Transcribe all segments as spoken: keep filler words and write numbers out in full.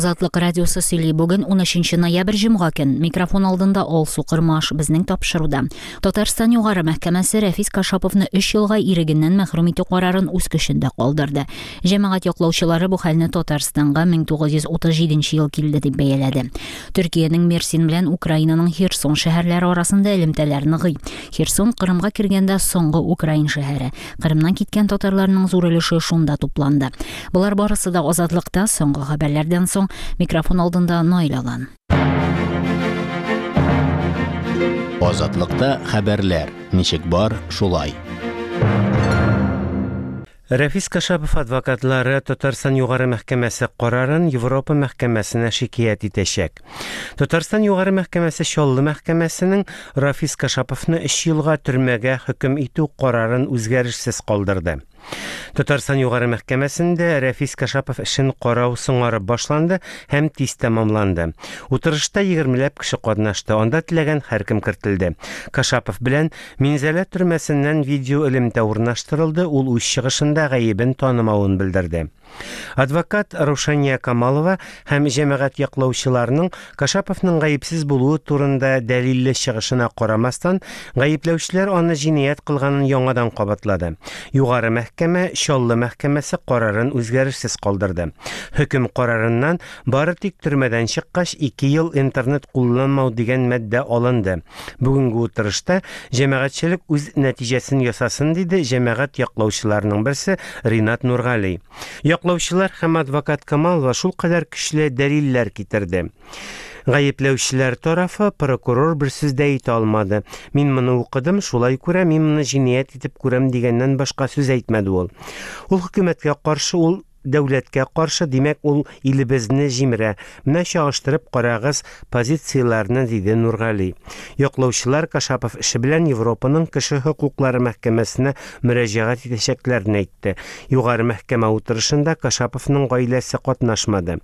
Азатлык радиосы сөйли. Бүген унөченче ноябрь, җомга көн. Микрофон алдында Алсу Кырмаш. Безнең тапшыруда. Татарстан Югары мәхкәмәсе Рәфис Кашаповны өч елга ирегеннән мәхрүм итү карарын үз көчендә калдырды. Җәмәгать яклаучылары бу хәлне Татарстанга мең тугыз йөз утыз җиденче ел килде дип бәяләде. Төркиянең Мерсин белән Украинаның Херсон шәһәрләре арасында элемтәләр ныгый. Херсон Кырымга кергәндә соңгы украин шәһәре. Кырымнан киткән татарларның зур өлеше шунда тупланды. Болар барысы да Азатлыкта соңгы хәбәрләрдән соң. Микрофон алдында Наил Алан. Азатлыкта хәбәрләр ничек бар, шулай. Рәфис Кашапов адвокатлары Татарстан Югары мәхкәмәсе карарын Европа мәхкәмәсенә шикаять итәчәк. Татарстан Югары мәхкәмәсе Чаллы мәхкәмәсенең Рафис Кашаповны өч елга төрмәгә хөкем итү карарын үзгәрешсез калдырды. Татарстан Югары мәхкәмәсендә Рәфис Кашапов эшен карау соңарып башланды һәм тиз тәмамланды. Утырышта егермеләп кеше катнашты, анда теләгән һәркем кертелде. Кашапов белән Минзәлә төрмәсеннән видео элемтә урнаштырылды, ул үз чыгышында гаебен танымавын белдерде. Адвокат Рушания Камалова һәм җәмәгать яклаучыларының Кашаповның гаепсез булуы турында дәлилле чыгышына карамастан, гаепләүчеләр аны җинаять кылганын яңадан кабатлады. Югары мәхкәмә Чаллы мәхкәмәсе карарын үзгәрешсез калдырды. Хөкем карарыннан бары тик төрмәдән чыккач ике ел интернет кулланмау дигән маддә алынды. Бүгенге утырышта җәмәгатьчелек үз нәтиҗәсен ясасын, диде җәмәгать яклаучыларының берсе Ринат Нургали. Яклаучылар һәм адвокат Камалова шул кадәр көчле дәлилләр китерде. Гаепләүчеләр тарафы прокурор бер сүз дә әйтә алмады. Мин моны укыдым, шулай күрә, мин моны җинаять итеп күрәм дигәннән башка сүз әйтмәде ул. Ул хөкүмәткә каршы, ул дәүләткә каршы, димәк, ул илебезне җимерә. Менә чагыштырып карагыз позицияләрне, диде Нургали. Яклаучылар Кашапов эше белән Европаның кеше хокуклары мәхкәмәсенә мөрәҗәгать итәчәкләрен әйтте. Югары мәхкәмә утырышында Кашаповның гаиләсе катнашмады.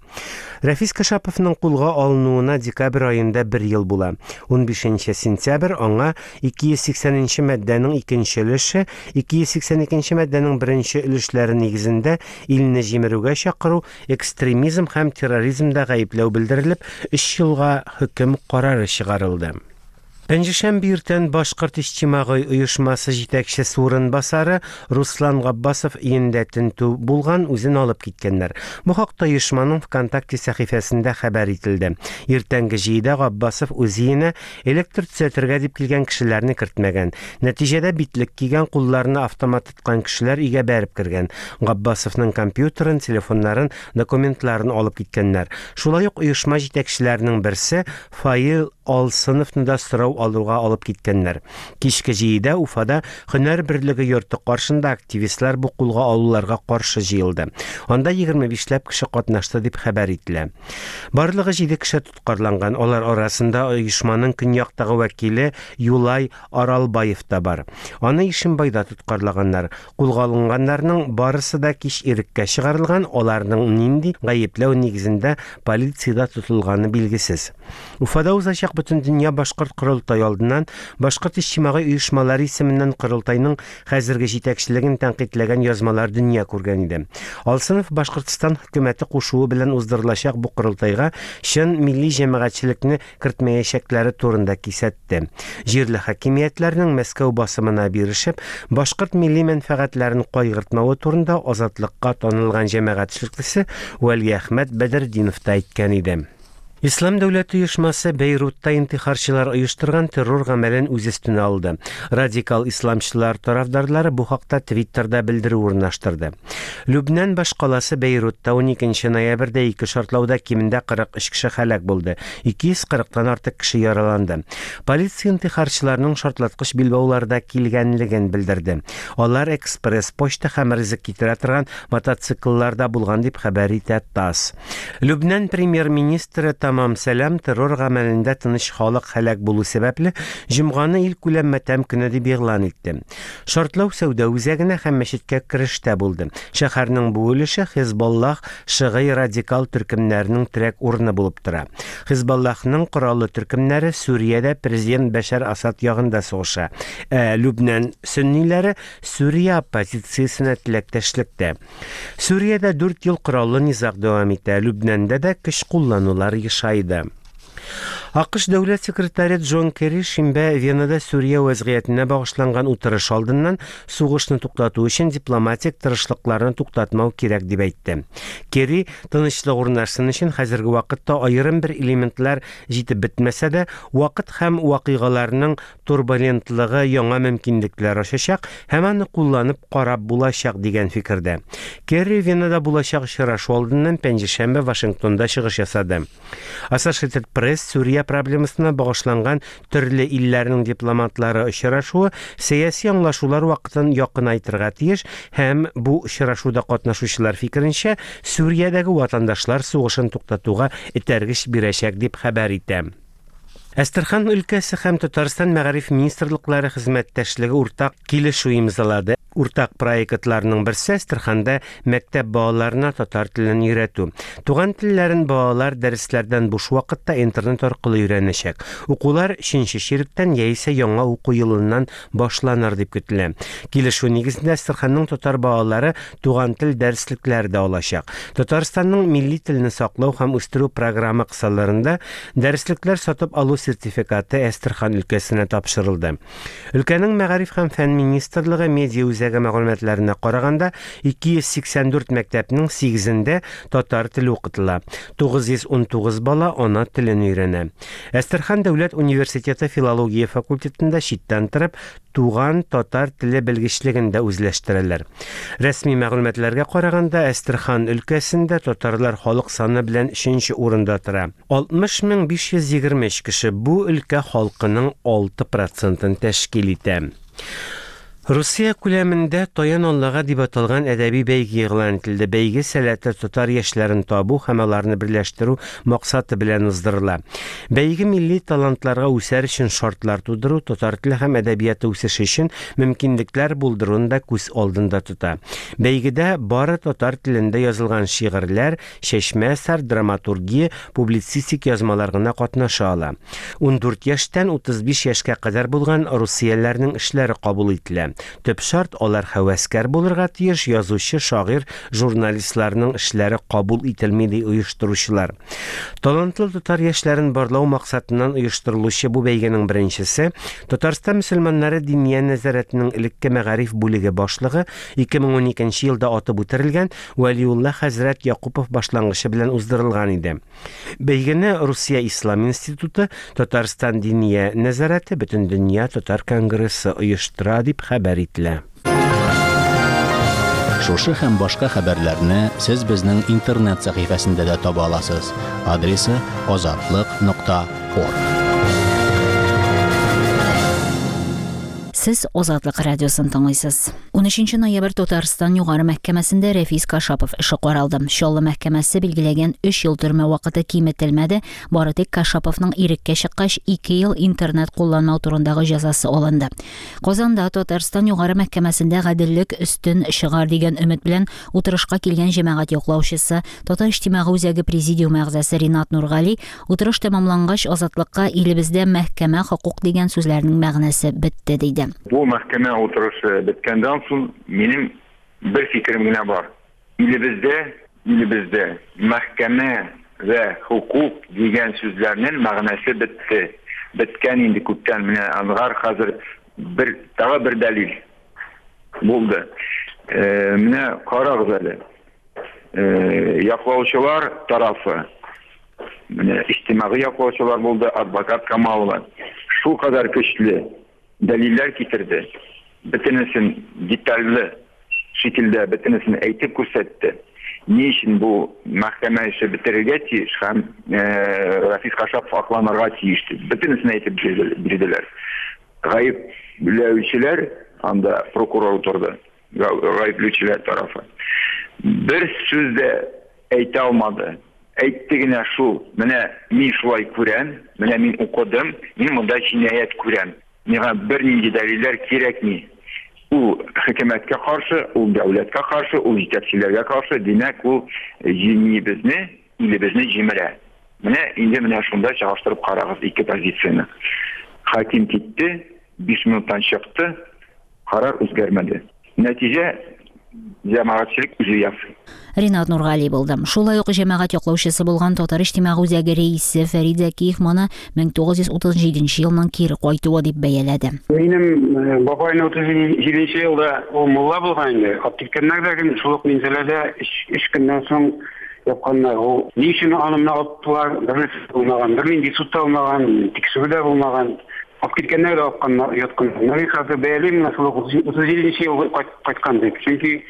Рәфис Кашаповның кулга алынуына декабрь аенда бер ел була. Унбишенче сентябрь аңа ике йөз сиксәненче маддәнең икенче өлеше, ике йөз сиксән икенче маддәнең беренче өлешләре нигезендә илне җимерүгә чакыру, экстремизм һәм терроризмда гаепләү белдерелеп, өч елга хөкем карары чыгарылды. Пәнҗешәмбе иртән Башкорт иҗтимагый оешмасы җитәкчесе урынбасары Руслан Габбасов өендә тентү булган, үзен алып киткәннәр. Бу хакта оешманың ВКонтакте сәхифәсендә хәбәр ителде. Иртәнге җидедә Габбасов үз өенә электр төзәтергә дип килгән кешеләрне кертмәгән. Нәтиҗәдә битлек кигән, кулларына автомат тоткан кешеләр өйгә бәреп кергән. Габбасовның компьютерын, телефоннарын, документларын алып киткәннәр. Шулай ук оешма җитәкчеләренең берсе Фаил Алсыновны да сорау алуга алып киткәннәр. Кичке җидедә Уфада Һөнәр берлеге йорты каршында активистлар бу кулга алуларга каршы җыелды. Анда егерме бишләп кеше катнашты дип хәбәр ителә. Барлыгы җиде кеше тоткарланган. Алар арасында оешманың көньяктагы вәкиле Юлай Аралбаев та бар. Аны Ишембайда тоткарлаганнар. Кулга алынганнарның барысы да кич иреккә чыгарылган, аларның нинди гаепләү нигезендә полициядә тотылганы билгесез. Уфада узачак Бөтендөнья башкорт корылтае алдыннан Башкорт иҗтимагый оешмалары исеменнән корылтайның хәзерге җитәкчелеген тәнкыйтьләгән язмалар дөнья күргән иде. Алсынов Башкортстан хөкүмәте кушуы белән уздырылачак бу корылтайга чын милли җәмәгатьчелекне кертмәячәкләре турында кисәтте. Җирле хакимиятләрнең Мәскәү басымына бирешеп, башкорт милли мәнфәгатьләрен кайгыртмавы турында Азатлыкка танылган җәмәгать эшлеклесе Вәлиәхмәт Бәдретдинов та әйткән иде. Ислам дәүләте оешмасы Бейрутта интихарчылар оештырган террор гамәлен үз өстенә алды. Радикал исламчылар тарафдарлары бу хакта Твиттерда белдерү урнаштырды. Лүбнән башкаласы Бейрутта уникенче ноябрьдә ике шартлауда кимендә кырык өч кеше һәлак булды, ике йөз кырыктан артык кеше яраланды. Полиция интихарчыларның шартлаткыч билбауларда килгәнлеген белдерде. Алар экспресс почта һәм ризык китерә торган мотоциклларда булган дип хәбәр итә ТАСС. Лүбнән премьер-министры Тамам Сәлам террор гамәлендә тыныч халык һәлак булу сәбәпле җомганы илкүләм матәм көне дип игълан итте. Шартлау сәүдә үзәгенә һәм мәчеткә керештә булды. Шәһәрнең бу өлеше Хизбаллах шыгый радикал төркемнәренең терәк урыны булып тора. Хизбаллахның кораллы төркемнәре Сүриядә президент Бәшәр Асад ягында сугыша. Ә Лүбнән сөнниләре Сүрия оппозициясенә теләктәшлектә. Сүриядә дүрт ел кораллы низаг дәвам итә. Лүбнәндә дә көч кулланулар ешайды. АКШ дәүләт секретаре Джон Керри шимбә Венада Сүрия вәзгыятенә багышланган утырыш алдыннан сугышны туктату өчен дипломатик тырышлыкларны туктатмау кирәк дип әйтте. Керри тынычлык урнашсын өчен хәзерге вакытта аерым бер элементлар җитеп бетмәсә дә, вакыт һәм вакыйгаларның турбулентлыгы яңа мөмкинлекләр ачачак һәм аны кулланып карап булачак дигән фикердә. Керри Венада булачак очрашу алдыннан пәнҗешәмбе Вашингтонда чыгыш ясады. Associated Press Сүрия проблемасына багышланган төрле илләрнең дипломатлары очрашуы сәяси аңлашулар вакытын якынайтырга тиеш һәм бу очрашуда катнашучылар фикеренчә Сүриядәге ватандашлар сугышын туктатуга этәргеч бирәчәк дип хәбәр итә. Әстерхан өлкәсе һәм Татарстан мәгариф министрлыклары хезмәттәшлеге уртак килешү имзалады. Уртак проектларның берсе Әстерханда мәктәп балаларына татар телен өйрәтү. Туган телләрен балалар дәресләрдән буш вакытта интернет аркылы өйрәнәчәк. Укулар өченче чиректән яисә яңа уку елыннан башланыр дип көтелә. Килешү нигезендә Әстерханның татар балалары туган тел дәреслекләре дә алачак. Татарстанның милли телне саклау һәм үстерү программы кысаларында дәреслекләр сатып алу сертификаты Әстерхан өлкәсенә тапшырылды. Өлкәнең мәгариф һәм фән министрлыгы медиа үзәге мәгълүматларына караганда ике йөз сиксән дүрт мәктәпнең сигезендә татар теле укытыла. тугыз йөз ун тугыз бала ана телен өйрәнә. Әстерхан дәүләт университеты филология факультетында читтән торып туган татар теле белгечлеген дә үзләштерәләр. Рәсми мәгълүматларга караганда Әстерхан өлкәсендә татарлар халык саны белән өченче урында тора. алтмыш мең биш йөз егерме өч кеше бу өлкә халкының алты процентын тәшкил итә. Русия күләмендә Таян Аллага дип аталган әдәби бәйге игълан ителде. Бәйге сәләтле татар яшьләрен табу һәм аларны берләштерү максаты белән уздырыла. Бәйге милли талантларга үсәр өчен шартлар тудыру, татар теле һәм әдәбияты үсеше өчен мөмкинлекләр булдыруны да күз алдында тота. Бәйгедә бары татар телендә язылган шигырьләр, чәчмә әсәр, драматургия, публицистик язмалар гына катнаша ала. Ундүрт яшьтән утыз биш яшькә кадәр булган русияләрнең эшләре кабул ителә. Төп шарт алар һәвәскәр булырга тиеш, язучы, шагыйрь, журналистларның эшләре кабул ителми ди оештыручылар. Талантлы татар яшьләрен барлау максатыннан оештырылучы бу бәйгенең беренчесе Татарстан мөселманнары диния нәзарәтенең элекке мәгариф бүлеге башлыгы ике мең уникенче елда атып үтерелгән Вәлиулла хәзрәт Якупов башлангычы белән уздырылган иде. Бәйгене Русия Ислам институты, Татарстан диния нәзарәте, Бөтендөнья татар конгрессы оештыра дип хәбәр ителә. Шушы һәм башка хәбәрләрне сез безнең интернет сәхифәсендә дә таба аласыз. Адресы азатлык нокта орг. Сез Азатлык радиосын тыңлыйсыз. Унөченче ноябрь Татарстан Югары мәхкәмәсендә Рәфис Кашапов эше каралды. Чаллы мәхкәмәсе билгеләгән өч ел төрмә вакыты киметелмәде. Бары тик Кашаповның иреккә чыккач ике ел интернет кулланмау турындагы җәзасы алынды. Казанда Татарстан Югары мәхкәмәсендә гаделлек өстен чыгар дигән өмет белән утырышка килгән җәмәгать яклаучысы, Татар иҗтимагый үзәге президиум әгъзасы Ринат Нургали утырыш тәмамлангач Азатлыкка илебездә мәхкәмә хокук дигән сүзләрнең мәгънәсе бетте диде. Бу мәхкәмә утырышы беткәндән соң минем бер фикерем генә бар. Илебездә, илебездә мәхкәмә вә хокук дигән сүзләрнең мәгънәсе бетте. Беткән инде күптән. Менә аңгар хәзер бер тагы бер дәлил булды. Э, менә карагыз әле. Э, яклаучылар тарафы, менә иҗтимагый яклаучылар булды, адвокат Камалова. Шул кадәр көчле дәлилләр китерде. Бөтенесен детальле шикелдә бөтенесен әйтеп күрсәтте. Ни өчен бу мәхкәмә эше бетерергә тиеш һәм, э, Рафис Кашапов акланырга тиеш дип бөтенесен әйтеп бирделәр. Гаепләүчеләр анда прокурор утырды. Гаепләүчеләр тарафы. Бер сүз дә әйтә алмады. Әйтте генә шул, менә мин шулай күрәм, менә мин укыдым, мин монда җинаять күрәм. Миңа бернинди дәлилләр кирәкми. Ул хөкүмәткә каршы, ул дәүләткә каршы, ул җитәкчеләргә каршы, димәк, ул җиңибезне, илебезне җимерә. Менә инде менә шунда чагыштырып карагыз ике позицияне. Хаким китте, биш минуттан чыкты, карар үзгәрмәде. Нәтиҗә җәмәгатьчелек үзе ясый. Ринат Нургали булды. Шулай ук җәмәгать яклаучысы булган Татар иҗтимагый үзәге рәисе Фәрид Зәкиев моны мең тугыз йөз утыз җиденче елның кире кайтуы дип бәяләде. Минем бабайны утыз җиденче елда ул мулла булган инде. Алып киткәннәр дә гел шул ук Минзәләдә өч көннән соң япканнар. Ул ни өчен аны менә алыптылар, бернәрсә булмаган, бернинди суд та булмаган, тикшерү дә булмаган. Алып киткәннәр дә алып ятканнар. Мин хәзер бәялим, менә шул ук утыз җиденче ел кайткан дип. Чөнки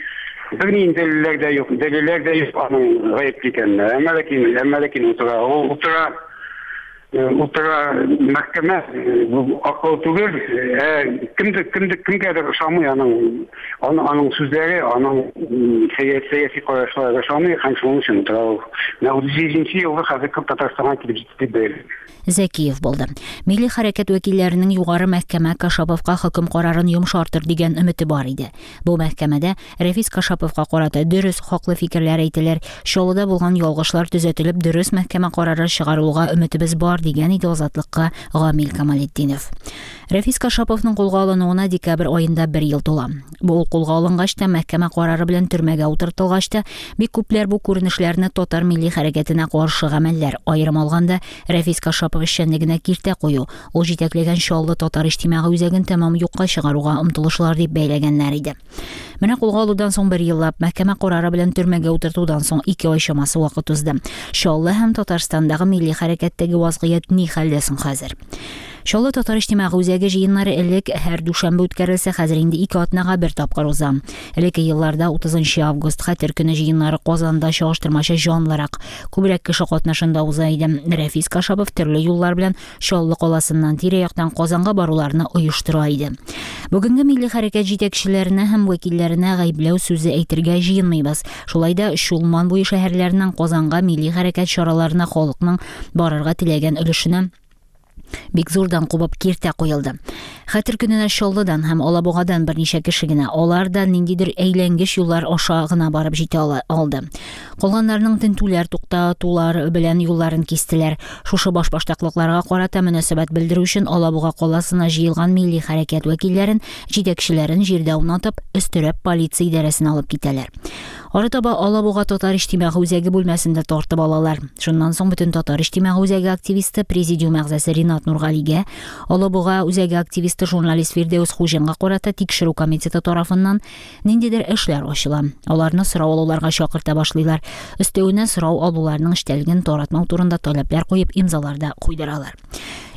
бернинди дәлилләр дә юк, дәлилләр дә юк аның гаепле икәненә. Әмма ләкин, әмма ләкин утыра. Ул утыра, утыра мәхкәмә, бу акыл түгел, ә кемдер, кемдер, кемгәдер ошамый аның, аның, аның сүзләре, аның сәяси карашлары ошамый һәм шуның өчен утыра ул. Менә утыз җиденче елгы хәзер күп Татарстанга килеп җитте дип бәялим. Зәкиев булды. Милли хәрәкәт вәкилләренең югары мәхкәмә Кашаповка хөкем карарын йомшартыр дигән өмете бар иде. Бу мәхкәмәдә Рәфис Кашаповка карата дөрес, хаклы фикерләр әйтелер, Чаллыда булган ялгышлар төзәтелеп, дөрес мәхкәмә карары чыгарылуга өметебез бар дигән иде Азатлыкка Гамил Камалетдинов. Рәфис Кашаповның кулга алынуына декабрь аенда бер ел тула. Бу ул кулга алынгач та, мәхкәмә карары белән төрмәгә утыртылгач та, бик күпләр бу күренешләрне татар милли хәрәкәтенә каршы гамәлләр, аерым алганда Рәфис Кашапов эшчәнлегенә киртә кую, ул җитәкләгән Чаллы татар иҗтимагый үзәген тәмам юкка чыгаруга омтылышлар дип бәйләгәннәр иде. Менә кулга алудан соң бер еллап, мәхкәмә карары белән төрмәгә утыртудан соң ике ай чамасы вакыт узды. Чаллы һәм Татарстандагы милли хәрәкәттәге вазгыять ни хәлдә соң хәзер? Чаллы татар иҗтимагый үзәге җыеннары элек һәр дүшәмбе үткәрелсә, хәзер инде ике атнага бер тапкыр уза. Элекке елларда утызынчы август Хәтер көне җыеннары Казанда чагыштырмача җанлырак, күбрәк кеше катнашында уза иде. Рәфис Кашапов төрле юллар белән Чаллы каласыннан тирә-яктан Казанга баруларны оештыра иде. Бүгенге милли хәрәкәт җитәкчеләренә һәм вәкилләренә гаепләү сүзе әйтергә җыенмыйбыз. Шулай да Чулман буе шәһәрләреннән Казанга милли хәрәкәт чараларына халыкның барырга теләгән өлешенә бик зурдан кубып киртә куелды. Хәтер көненә Чаллыдан һәм Алабугадан берничә кеше генә, алар да ниндидер әйләнгеч юллар аша гына барып җитә алды. Калганнарның тентүләр, туктатулар белән юлларын кистеләр. Шушы башбаштаклыкларга карата мөнәсәбәт белдерү өчен Алабуга каласына җыелган милли хәрәкәт вәкилләрен, җитәкчеләрен җирдә аунатып, өстерәп полиция идарәсенә алып китәләр. Арытаба Алабуга татар иҗтимагый үзәге бүлмәсендә тартып алалар. Шуннан соң бөтен татар иҗтимагый үзәге активисты, президиум әгъзасы Ринат Нургалигә, Алабуга үзәге активисты журналист Фирдәүс Хуҗинга карата тикшерү комитеты тарафыннан ниндидер эшләр ачыла. Аларны сорау алуларга чакырта башлыйлар. Өстәвенә сорау алуларның эчтәлеген таратмау турында таләпләр куеп имзалар да куйдыралар.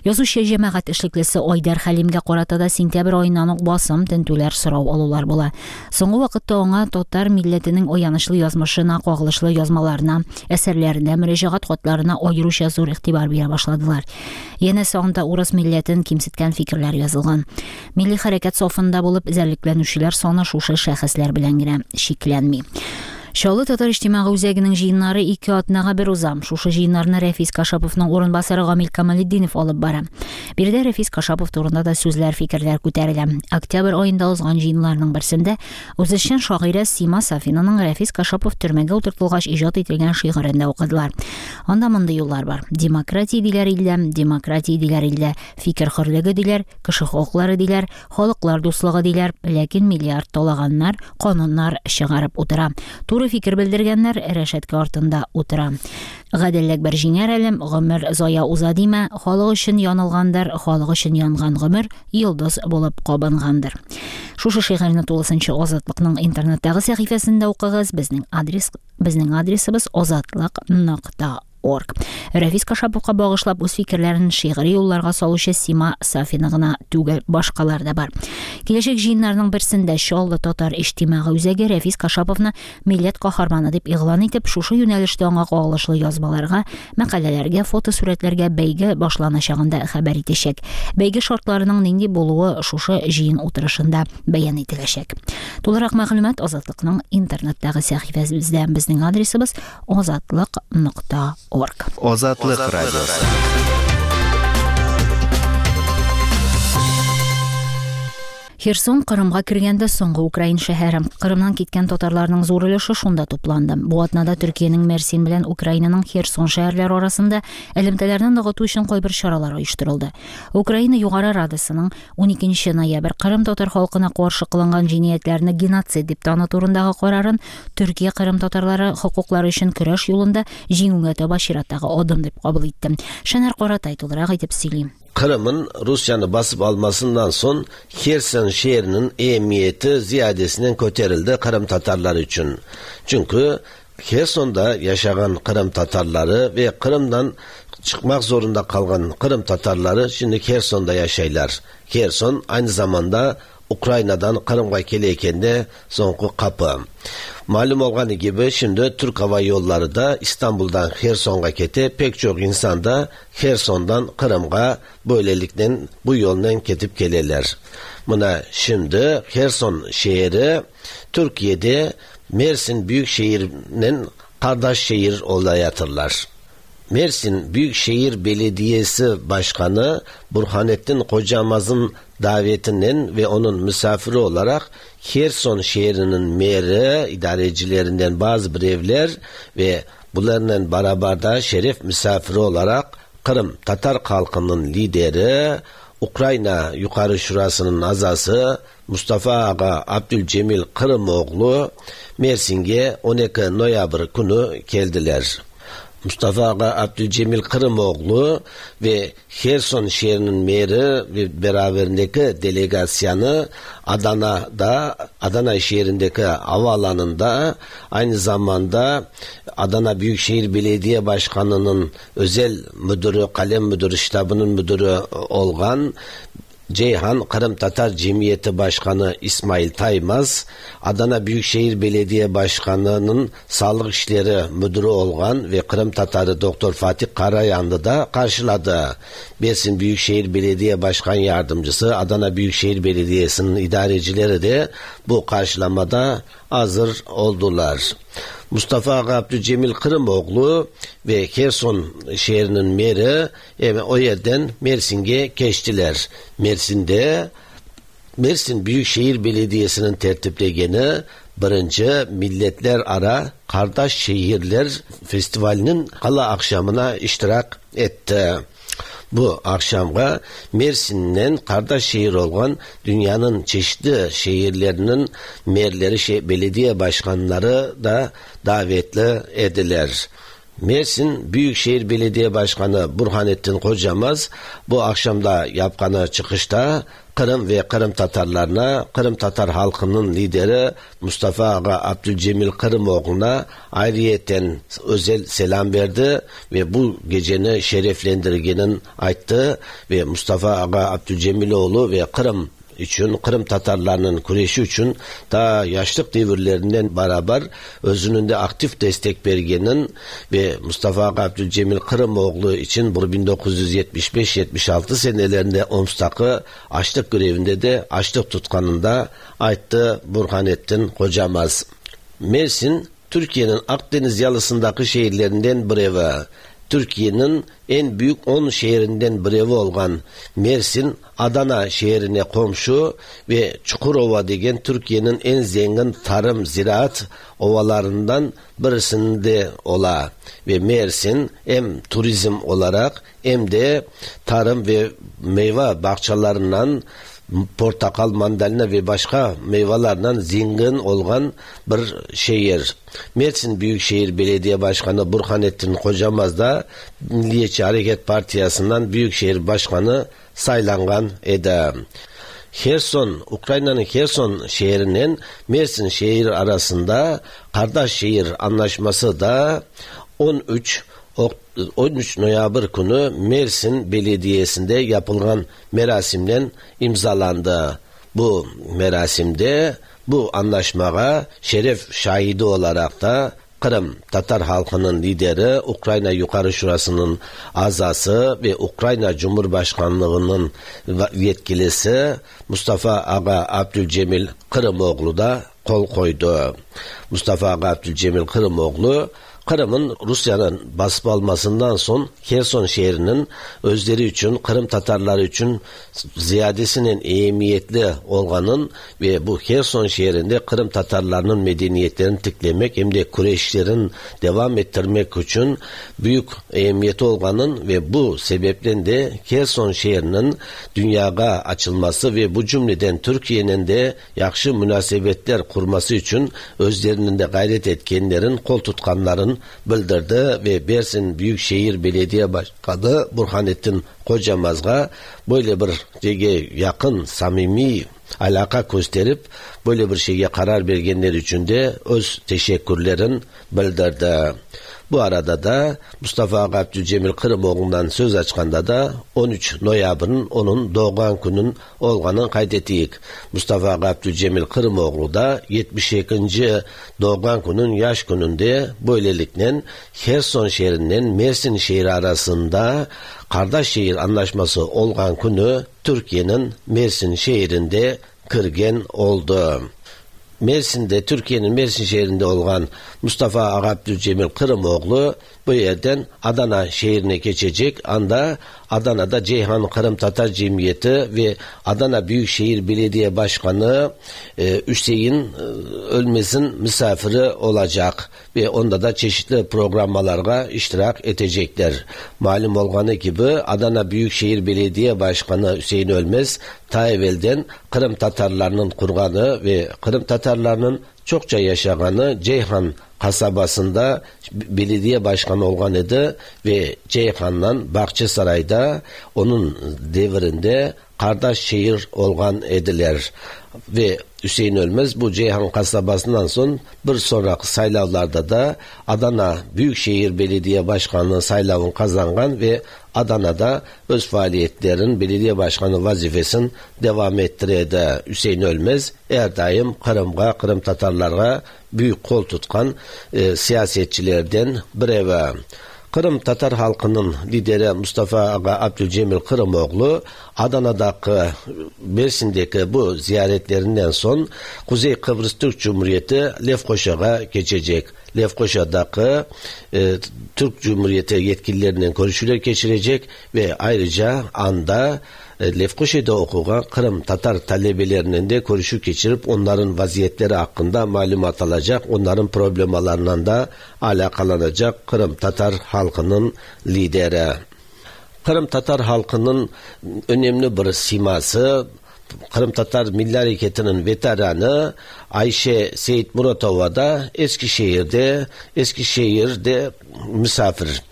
Язучы җәмәгать эшлеклесе Айдар Хәлимгә карата да сентябрь аеннан ук басым, тентүләр, сорау алулар була. Соңгы вакытта аңа татар милләтенең аянычлы язмышына кагылышлы язмаларына, әсәрләренә, мөрәҗәгать хатларына аеруча зур игътибар бирә башладылар. Янәсе анда урыс милләтен кимсеткән фикерләр язылган. Милли хәрәкәт сафында булып эзәрлекләнүчеләр саны шушы шәхесләр белән генә чикләнми. Чаллы татар иҗтимагый үзәгенең җыеннары ике атнага бер уза. Шушы җыеннарны Рәфис Кашаповның урынбасары Гамил Камалетдинов алып бара. Биредә Рәфис Кашапов турында да сүзләр, фикерләр күтәрелә. Октябрь аенда узган җыеннарның берсендә үзешчән шагыйрә Сима Сафинаның Рәфис Кашапов төрмәгә утыртылгач иҗат ителгән шигырен дә укыдылар. Анда мондый юллар бар: Демократия диләр илдә, демократия диләр илдә, фикер хөрлеге диләр, кеше хокуклары диләр, халыклар дуслыгы диләр, ләкин миллиард талаганнар кануннар чыгарып утыра. Туры фикер белдергәннәр рәшәткә артында утыра. Гаделлек бер җиңәр әлем, гомер зая уза димә, халык өчен янылгандыр, халык өчен янган гомер йолдыз булып кабынгандыр. Шушы шигырьне тулысынча Азатлыкның интернеттагы сәхифәсендә укыгыз. Безнең адрес, безнең адресыбыз азатлык нокта орг. Рәфис Кашаповка багышлап үз фикерләрен шигъри юлларга салучы Сима Сафина гына түгел, башкалар да бар. Киләчәк җыеннарның берсендә Чаллы татар иҗтимагый үзәге Рәфис Кашаповны милләт каһарманы дип игълан итеп, шушы юнәлештә аңа кагылышлы язмаларга, мәкаләләргә, фотосурәтләргә бәйге башланачагын да хәбәр итәчәк. Бәйге шартларының нинди булуы шушы җыен утырышында бәян ителәчәк. Тулырак мәгълүмат Азатлыкның интернеттагы сәхифәсебездә. Безнең адресыбыз азатлык нокта орг. Азатлык радиосы. Херсон Кырымга кергәндә соңгы украин шәһәре. Кырымнан киткән татарларның зур өлеше шунда тупланды. Бу атнада Төркиянең Мерсин белән Украинаның Херсон шәһәрләре арасында элемтәләрне ныгыту өчен кайбер чаралар оештырылды. Украина Югары Радасының ун икенче ноябрь Кырым татар халкына каршы кылынган җинаятьләрне геноцид дип тану турындагы карарын Төркия Кырым татарлары хокуклары өчен көрәш юлында җиңүгә таба чираттагы адым дип кабул итте. Шәнәр Каратай тулырак итеп сөйли. Kırım'ın Rusya'nı basıp almasından son Herson şehrinin ehemmiyeti ziyadesinden köterildi Kırım Tatarları için. Çünkü Herson'da yaşayan Kırım Tatarları ve Kırım'dan çıkmak zorunda kalan Kırım Tatarları şimdi Herson'da yaşaylar. Herson aynı zamanda Ukrayna'dan Kırım'a keleyken de sonku kapı. Malum olganı gibi şimdi Türk Hava Yolları da İstanbul'dan Herson'a kete pek çok insan da Herson'dan Kırım'a böylelikle bu yoldan ketip gelirler. Buna şimdi Herson şehri Türkiye'de Mersin Büyükşehir'in kardeş şehir olayatırlar. Mersin Büyükşehir Belediyesi Başkanı Burhanettin Kocamaz'ın davetinden ve onun misafiri olarak Herson şehrinin meri, idarecilerinden bazı birevler ve bunlarla beraber de şeref misafiri olarak Kırım Tatar halkının lideri, Ukrayna Yukarı Şurası'nın azası Mustafa Ağa Abdülcemil Kırımoğlu Mersin'e on iki noyabr günü geldiler. Mustafa Ağa Abdülcemil Kırımoğlu ve Herson şehrinin meri ve beraberindeki delegasyonu Adana'da, Adana şehrindeki havaalanında aynı zamanda Adana Büyükşehir Belediye Başkanı'nın özel müdürü, kalem müdürü, ştabının müdürü olan Ceyhan Kırım Tatar Cemiyeti Başkanı İsmail Taymaz, Adana Büyükşehir Belediye Başkanı'nın Sağlık İşleri Müdürü olan ve Kırım Tatarı Doktor Fatih Karayanlı da karşıladı. Mersin Büyükşehir Belediye Başkan Yardımcısı, Adana Büyükşehir Belediyesi'nin idarecileri de bu karşılamada hazır oldular. Mustafa Ağa Abdülcemil Kırımoğlu ve Herson şehrinin meri yani o yerden Mersin'e geçtiler. Mersin'de Mersin Büyükşehir Belediyesi'nin tertiplegeni birinci Milletler Ara Kardeş Şehirler Festivali'nin gala akşamına iştirak etti. Bu akşamga Mersin'den kardeş şehir olan dünyanın çeşitli şehirlerinin merleri, şey, belediye başkanları da davetli ediler. Mersin Büyükşehir Belediye Başkanı Burhanettin Kocamaz bu akşamda yapqanı çıkışta Kırım ve Kırım Tatarlarına, Kırım Tatar halkının lideri Mustafa Ağa Abdülcemil Kırımoğlu'na ayrıyeten özel selam verdi ve bu geceni şereflendirgenin ayttı ve Mustafa Ağa Abdülcemiloğlu ve Kırım için, Kırım Tatarlarının küreşi için ta yaşlık devirlerinden beraber özünün de aktif destek bergenin ve Mustafa Ağa Abdülcemil Kırımoğlu için bu bin dokuz yüz yetmiş beş yetmiş altı senelerinde Oms'taki açlık grevinde de açlık tutkanında ayttı Burhanettin Kocamaz. Mersin, Türkiye'nin Akdeniz yalısındaki şehirlerinden biri. Türkiye'nin en büyük on şehrinden biri olan Mersin, Adana şehrine komşu ve Çukurova degen Türkiye'nin en zengin tarım ziraat ovalarından birisinde ola. Ve Mersin hem turizm olarak hem de tarım ve meyve bahçelerinden portakal, mandalina ve başka meyvelerden zengin olan bir şehir. Mersin Büyükşehir Belediye Başkanı Burhanettin Kocamaz da Milliyetçi Hareket Partisi'nden Büyükşehir Başkanı saylangan edi. Herson, Ukrayna'nın Herson şehrinin Mersin şehir arasında kardeş şehir anlaşması da on üç on üç noyabr künü Mersin Belediyesi'nde yapılan merasimden imzalandı. Bu merasimde bu anlaşmaya şeref şahidi olarak da Kırım Tatar halkının lideri, Ukrayna Yukarı Şurası'nın azası ve Ukrayna Cumhurbaşkanlığı'nın yetkilisi Mustafa Ağa Abdülcemil Kırımoğlu da kol koydu. Mustafa Ağa Abdülcemil Kırımoğlu, Kırım'ın Rusya'nın basıp almasından son Herson şehrinin özleri için, Kırım Tatarları için ziyadesinin ehemmiyetli olganın ve bu Herson şehrinde Kırım Tatarlarının medeniyetlerini tiklemek hem de Kureyşlerin devam ettirmek için büyük ehemmiyeti olganın ve bu sebepten de Herson şehrinin dünyaya açılması ve bu cümleden Türkiye'nin de yakşı münasebetler kurması için özlerinin de gayret etkenlerin, kol tutkanların bildirdi ve Mersin Büyükşehir Belediye Başkanı Burhanettin Kocamaz'a böyle bir şeye yakın, samimi alaka gösterip böyle bir şeye karar vergenler için de öz teşekkürlerin bildirdi. Bu arada da Mustafa Ağa Abdülcemil Kırımoğlu'ndan söz açkanda da on üç noyabrın onun doğan günün olganın kaydettik. Mustafa Ağa Abdülcemil Kırımoğlu da yetmiş ikinci doğan günün yaş gününde böylelikle Herson şehrinden Mersin şehri arasında kardeş şehir anlaşması olgan günü Türkiye'nin Mersin şehrinde kırgen oldu. Mersin'de, Türkiye'nin Mersin şehrinde olan Mustafa Ağa Abdülcemil Kırımoğlu bu yerden Adana şehrine geçecek. Anda Adana'da Ceyhan Kırım Tatar Cemiyeti ve Adana Büyükşehir Belediye Başkanı e, Hüseyin e, Ölmez'in misafiri olacak ve onda da çeşitli programlara iştirak edecekler. Malum olganı gibi Adana Büyükşehir Belediye Başkanı Hüseyin Ölmez ta evvelden Kırım Tatarlarının kurganı ve Kırım Tatarlarının çokça yaşaganı Ceyhan kasabasında belediye başkanı olgan idi ve Ceyhan'dan Bahçesaray'da onun devrinde kardeş şehir olgan ediler. Ve Hüseyin Ölmez bu Ceyhan kasabasından son bir sonraki saylavlarda da Adana Büyükşehir Belediye Başkanlığı saylavını kazangan ve Adana'da öz faaliyetlerin belediye başkanı vazifesini devam ettirdi. Hüseyin Ölmez her daim Kırım'a, Kırım Tatarlara büyük kol tutkan e, siyasetçilerden biri. Kırım Tatar halkının lideri Mustafa Ağa Abdülcemil Kırımoğlu Adana'daki, Mersin'deki bu ziyaretlerinden son Kuzey Kıbrıs Türk Cumhuriyeti Lefkoşa'ya geçecek. Lefkoşa'daki e, Türk Cumhuriyeti yetkililerinin görüşmeler geçirecek ve ayrıca anda e, Lefkoşa'da okuyan Kırım Tatar talebelerinin de görüşü geçirip onların vaziyetleri hakkında malumat alacak, onların problemalarından da alakalanacak Kırım Tatar halkının lideri. Kırım Tatar halkının önemli bir siması, Kırım Tatar Milli Hareketi'nin veteranı Ayşe Seyit Muratova da Eskişehir'de, Eskişehir'de misafir.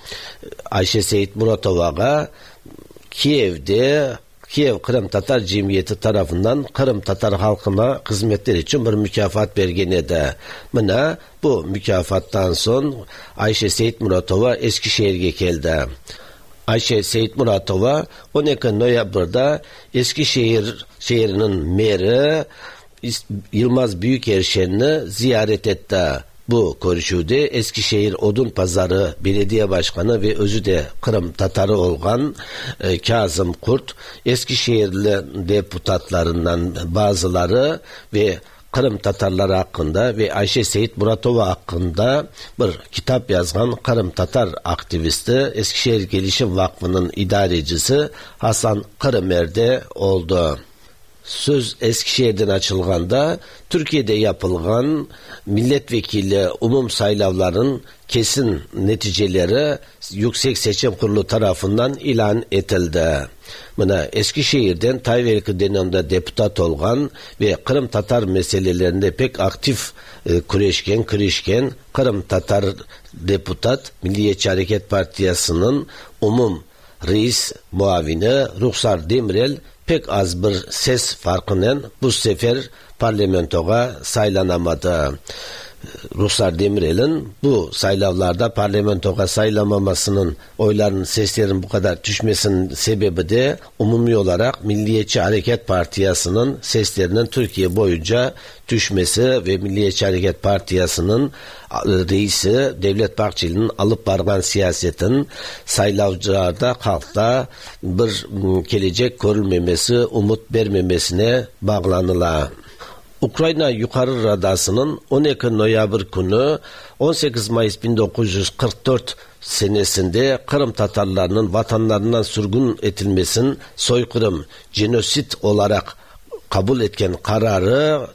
Ayşe Seyit Muratova'ya Kiev'de Kiev Kırım Tatar Cemiyeti tarafından Kırım Tatar halkına hizmetler için bir mükafat bergenedi. Mına bu mükafattan son Ayşe Seyit Muratova Eskişehir'e geldi. Ayşe Seyit Muratova on iki noyabrda Eskişehir şehrinin meri Yılmaz Büyükerşen'i ziyaret etti. Bu görüşüde Eskişehir Odunpazarı Belediye Başkanı ve özü de Kırım Tatarı olan e, Kazım Kurt, Eskişehirli deputatlarından bazıları ve Kırım Tatarları hakkında ve Ayşe Seyit Muratova hakkında bir kitap yazan Kırım Tatar aktivisti, Eskişehir Gelişim Vakfı'nın idarecisi Hasan Kırımer'de oldu. Söz Eskişehir'den açılganda Türkiye'de yapılan milletvekili umum saylavların kesin neticeleri Yüksek Seçim Kurulu tarafından ilan edildi. Buna Eskişehir'den Tayverki döneminde deputat olan ve Kırım Tatar meselelerinde pek aktif e, küreşken, kırışken Kırım Tatar deputat Milliyetçi Hareket Partisi'nin umum reis muavini Ruhsar Demirel pek az bir ses farkıyla bu sefer parlamentoya saylanamadı. Ruhsar Demirel'in bu saylavlarda parlamentoya saylamamasının, oyların, seslerin bu kadar düşmesinin sebebi de umumi olarak Milliyetçi Hareket Partisi'nin seslerinin Türkiye boyunca düşmesi ve Milliyetçi Hareket Partisi'nin reisi Devlet Bahçeli'nin alıp bargan siyasetin saylavcılarda, halkta bir gelecek görülmemesi, umut vermemesine bağlanıla. Ukrayna Yukarı Radası'nın on iki noyabr günü on sekiz Mayıs bin dokuz yüz kırk dört senesinde Kırım Tatarlarının vatanlarından sürgün edilmesinin soykırım, genosit olarak kabul etken kararı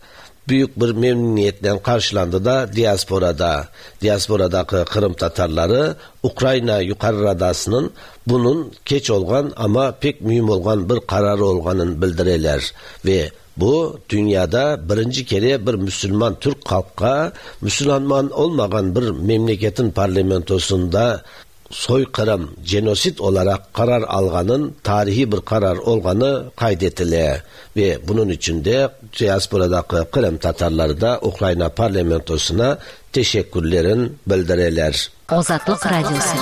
büyük bir memnuniyetle karşılandı da diasporada. Diasporadaki Kırım Tatarları Ukrayna Yukarı Radası'nın bunun geç olgan ama pek mühim olgan bir kararı olganın bildireler ve bu dünyada birinci kere bir Müslüman Türk halka Müslüman olmayan bir memleketin parlamentosunda soykırım, genosit olarak karar alganın tarihi bir karar olganı kaydetile ve bunun için de diasporadaki Kırım Tatarları da Ukrayna parlamentosuna teşekkürlerin bildireler. Azatlık Radyosu.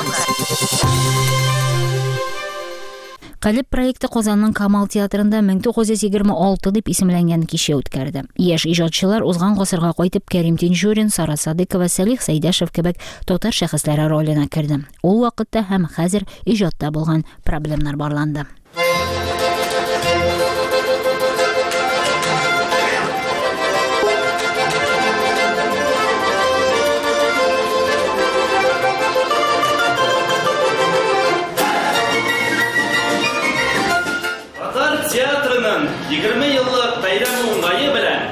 Калеб проекты Казанның Камал театрында мең тугыз йөз егерме алты дип исемләнгән кичә үткәрде. Яшь иҗатчылар узган гасырга кайтып Кәрим Тинчурин, Сара Садыкова, Сәлих Сәйдәшев кебек татар шәхесләре роленә керде. Ул вакытта һәм хәзер иҗатта булган проблемнар барланды. егерме еллык бәйрәме уңае белән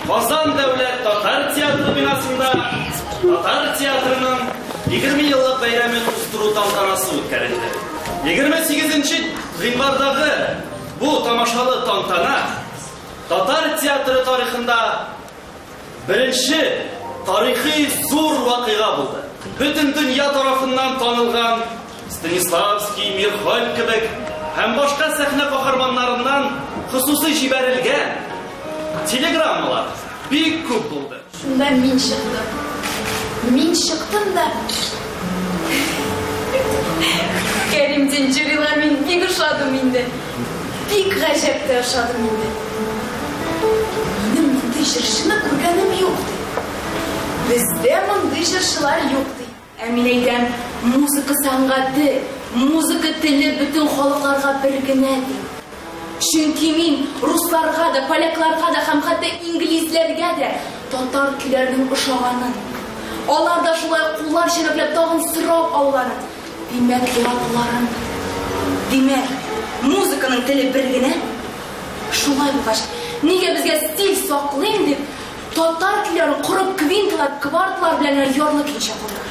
Казан дәүләт татар театры бинасында татар театрының егерме еллык бәйрәмен уздыру тантанасы үткәрелде. егерме сигезенче гыйнвардагы бу тамашалы тантана татар театры тарихында беренче тарихи зур вакыйга булды. Бөтен дөнья тарафыннан танылган Станиславский, Мирхольд кебек һәм башка сәхнә каһарманнарыннан хосусый җибәрелгән телеграммалар бик күп булды. Шунда мин чыктым. Мин чыктым да Кәрим Тинчуринга мин бик ошадым инде. Бик гаҗәп тә ошадым инде. Минем мондый җырчыны күргәнем юк ди. Бездә мондый җырчылар юк ди. Ә мин әйтәм, музыка сәнгате, музыка теле бөтен халыкларга бер генә ди. Чөнки мин русларга да, полякларга да һәм хәтта инглизләргә дә татар көйләренең ошаганын, алар да шулай куллар чәбәкләп тагын сорап алуларын, димәк, яратуларын. Димәк, музыканың теле бер генә. Шулай булгач, нигә безгә стиль саклыйм дип, татар көйләрен корып квинталар, квартлар белән ярлы көйчә куйдык?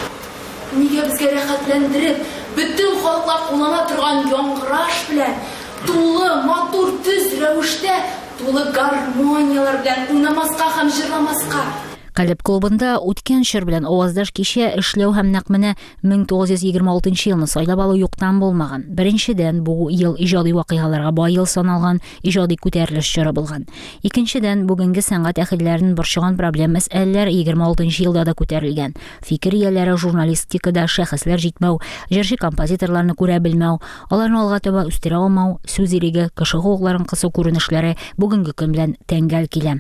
Нигә безгә рәхәтләндереп, бөтен халыклар куллана торган яңгыраш белән, тулы, матур, төз рәвештә, тулы гармониялар белән уйнамаска һәм җырламаска? Калеб клубында үткән чор белән аваздаш кичә эшләү һәм нәкъ менә мең тугыз йөз егерме алтынчы елны сайлап алу юктан булмаган. Беренчедән, бу ел иҗади вакыйгаларга бай ел саналган, иҗади күтәрелеш чоры булган. Икенчедән, бүгенге сәнгать әһелләрен борчыган проблем мәсьәләләр егерме алтынчы елда да күтәрелгән. Фикер ияләре журналистикада шәхесләр җитмәү, җырчы композиторларны күрә белмәү, аларны алга таба үстерә алмау, сүз иреге, кеше хокукларын кысу күренешләре бүгенге көн белән тәңгәл килә.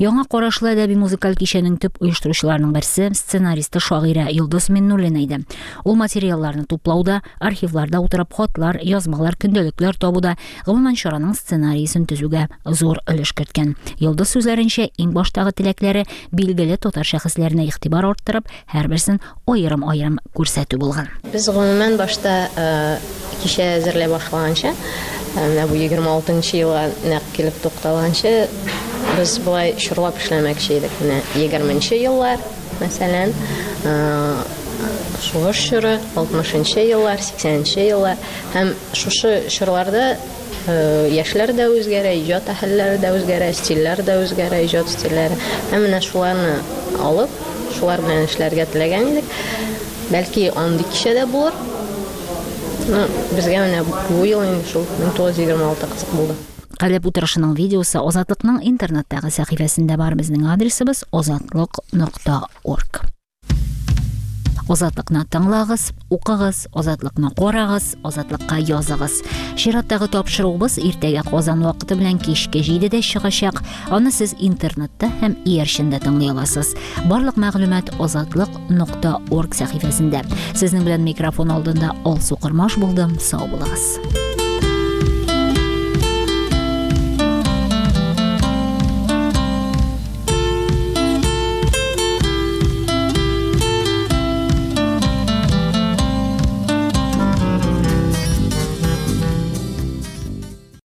Яңа карашлы әдәби музыкаль кичәнең төп оештыручыларының берсе сценаристы шагыйрә Йолдыз Миннуллина иде. Ул материалларны туплауда, архивларда утырып хатлар, язмалар, көндәлекләр табуда, гомумән чараның сценарийсын төзүгә зур өлеш керткән. Йолдыз сүзләренчә, иң баштагы теләкләре билгеле татар шәхесләренә игътибар арттырып, һәрберсен аерым-аерым күрсәтү булган. Без гомумән башта кичә әзерләй башлаганча, менә бу егерме алтынчы елга нәкъ килеп тукталганчы, без болай чорлап эшләмәкче идек. Менә егерменче еллар, мәсәлән, сугыш чоры, алтмышынчы еллар, сиксәненче еллар һәм шушы чорларда яшьләр дә үзгәрә, иҗат әһелләре дә үзгәрә, стильләр дә үзгәрә, иҗат стильләре. Һәм менә шуларны алып, шулар белән эшләргә теләгән идек. Бәлки андый кичә дә булыр. Ну, безгә менә бу ел инде шул мең тугыз йөз егерме алты кызык булды. Калеб утырышының видеосы Азатлыкның интернеттагы сәхифәсендә бар. Безнең адресыбыз азатлык нокта орг. Азатлыкны тыңлагыз, укыгыз, Азатлыкны карагыз, Азатлыкка языгыз. Чираттагы тапшыруыбыз иртәгә Казан вакыты белән кичке җидедә чыгачак. Аны сез интернетта һәм иярчендә тыңлый аласыз. Барлык мәгълүмат азатлык нокта орг сәхифәсендә. Сезнең белән микрофон алдында Алсу Кормаш булдым. Сау булыгыз.